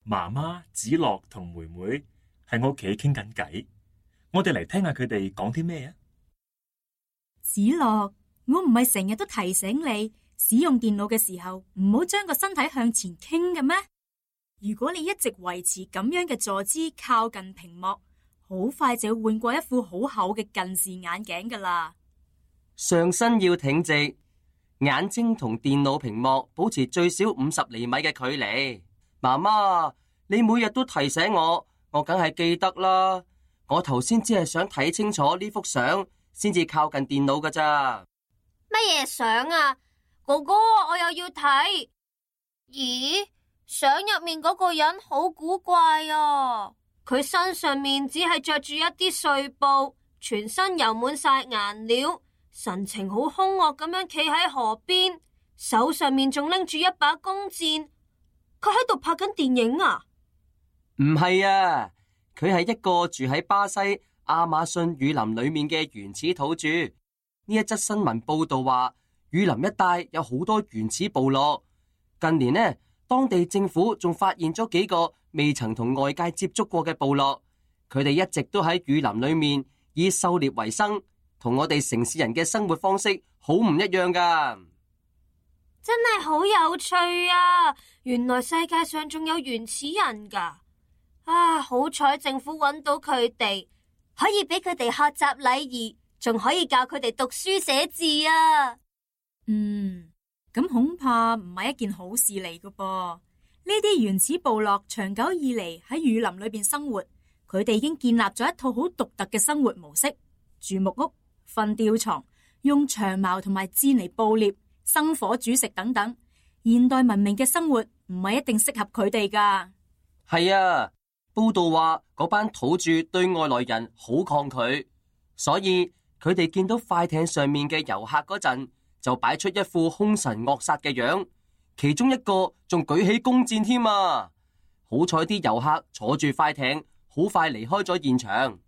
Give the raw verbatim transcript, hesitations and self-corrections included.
媽媽子樂同妹妹喺我屋企傾緊偈，我哋嚟聽下佢哋講啲咩啊？子樂，我唔係成日都提醒你使用電腦嘅時候唔好將個身體向前傾嘅咩？如果你一直維持咁樣嘅坐姿靠近屏幕，好快就要換過一副好厚嘅近視眼鏡噶啦。上身要挺直，眼睛同電腦屏幕保持最少五十厘米嘅距離。媽媽，你每日都提醒我，我梗係記得啦。我頭先只係想睇清楚呢幅相，先至靠近電腦噶咋。乜嘢相啊？哥哥，我又要睇。咦，相入面嗰個人好古怪啊！佢身上面只係着住一啲碎布，全身油滿晒顏料，神情好兇惡咁樣企喺河邊，手上面仲拎住一把弓箭。佢喺度拍緊電影啊？唔係啊，佢係一個住喺巴西亞馬遜雨林裏面嘅原始土著。呢一則新聞報道話，雨林一帶有好多原始部落。近年呢，當地政府仲發現咗幾個未曾同外界接觸過嘅部落，佢哋一直都喺雨林裏面以狩獵為生，同我哋城市人嘅生活方式好唔一樣噶。真係好有趣啊！原來世界上仲有原始人噶。啊，好彩政府揾到佢哋，可以俾佢哋學習禮儀，仲可以教佢哋讀書寫字啊。嗯，咁恐怕唔係一件好事嚟噶噃。呢啲原始部落長久以嚟喺雨林裏邊生活，佢哋已經建立咗一套好獨特嘅生活模式：住木屋、瞓吊床、用長矛同埋箭嚟捕獵、生火煮食等等。現代文明嘅生活唔係一定適合佢哋噶。係啊，報道話嗰班土著對外來人好抗拒，所以佢哋見到快艇上面嘅遊客嗰陣，就擺出一副兇神惡煞嘅樣，其中一個仲舉起弓箭添啊！好彩啲遊客坐住快艇，好快離開咗現場。